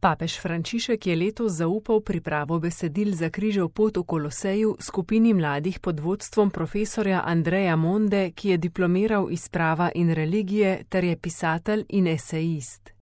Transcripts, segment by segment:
Papež Frančišek je letos zaupal pripravo besedil za križev pot v Koloseju skupini mladih pod vodstvom profesorja Andreja Monde, ki je diplomiral iz prava in religije ter je pisatelj in esejist.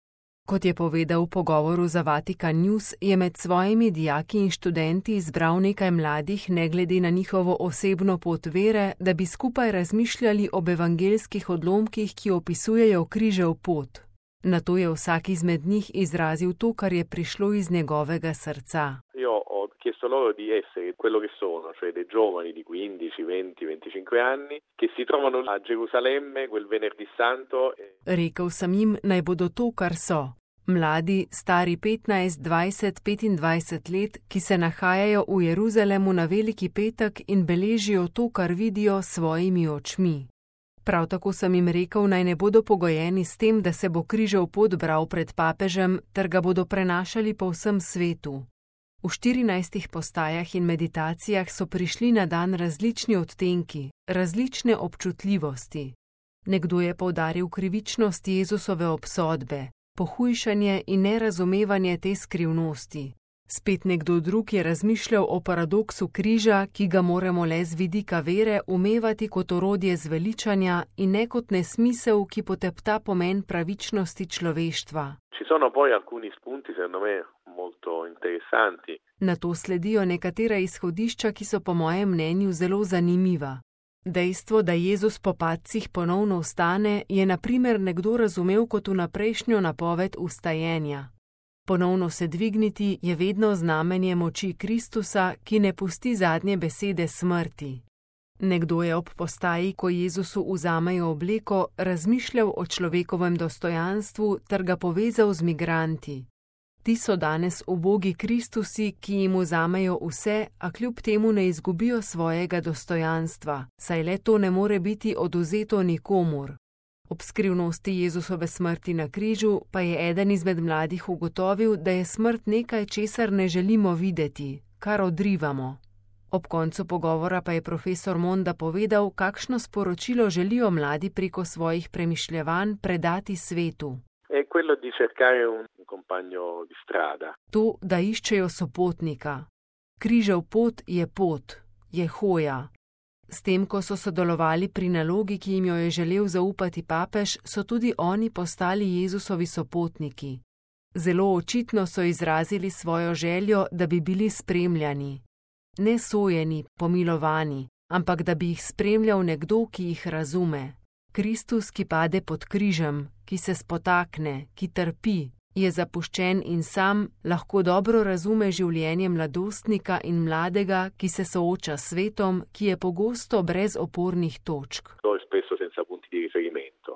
Kot je povedal v pogovoru za Vatikan News, je med svojimi dijaki in študenti izbral nekaj mladih ne glede na njihovo osebno pot vere, da bi skupaj razmišljali o evangeljskih odlomkih, ki opisujejo križev pot. Nato je vsak izmed njih izrazil to, kar je prišlo iz njegovega srca. Io ho chiesto loro di essere quello che sono, cioè dei giovani di 15, 20, 25 anni, che si trovano a Gerusalemme quel venerdì santo. Rekel sem jim, naj bodo to, kar so. Mladi, stari 15, 20, 25 let, ki se nahajajo v Jeruzalemu na Veliki petek in beležijo to, kar vidijo s svojimi očmi. Prav tako sem jim rekel, naj ne bodo pogojeni s tem, da se bo križev pot bral pred papežem, ter ga bodo prenašali po vsem svetu. V 14 postajah in meditacijah so prišli na dan različni odtenki, različne občutljivosti. Nekdo je poudaril krivičnost Jezusove obsodbe, pohujšanje in nerazumevanje te skrivnosti. Spet nekdo drug je razmišljal o paradoksu križa, ki ga moramo le z vidika vere umevati kot orodje zveličanja in ne kot nesmisel, ki potepta pomen pravičnosti človeštva. Ci sono poi alcuni spunti, secondo me, molto interessanti. Nato sledijo nekatera izhodišča, ki so po mojem mnenju zelo zanimiva. Dejstvo, da Jezus po padcih ponovno vstane, je na primer nekdo razumel kot vnaprejšnjo napoved vstajenja. Ponovno se dvigniti je vedno znamenje moči Kristusa, ki ne pusti zadnje besede smrti. Nekdo je ob postaji, ko Jezusu vzamejo obleko, razmišljal o človekovem dostojanstvu ter ga povezal z migranti. Ti so danes ubogi Kristusi, ki jim vzamejo vse, a kljub temu ne izgubijo svojega dostojanstva, saj le to ne more biti odvzeto nikomur. Ob skrivnosti Jezusove smrti na križu pa je eden izmed mladih ugotovil, da je smrt nekaj, česar ne želimo videti, kar odrivamo. Ob koncu pogovora pa je profesor Monda povedal, kakšno sporočilo želijo mladi preko svojih premišljevanj predati svetu. È quello di cercare un compagno di strada. To, da iščejo sopotnika. Križev pot, je hoja. S tem, ko so sodelovali pri nalogi, ki jim jo je želel zaupati papež, so tudi oni postali Jezusovi sopotniki. Zelo očitno so izrazili svojo željo, da bi bili spremljani. Ne sojeni, pomilovani, ampak da bi jih spremljal nekdo, ki jih razume. Kristus, ki pade pod križem, ki se spotakne, ki trpi, je zapuščen in sam, lahko dobro razume življenje mladostnika in mladega, ki se sooča s svetom, ki je pogosto brez opornih točk.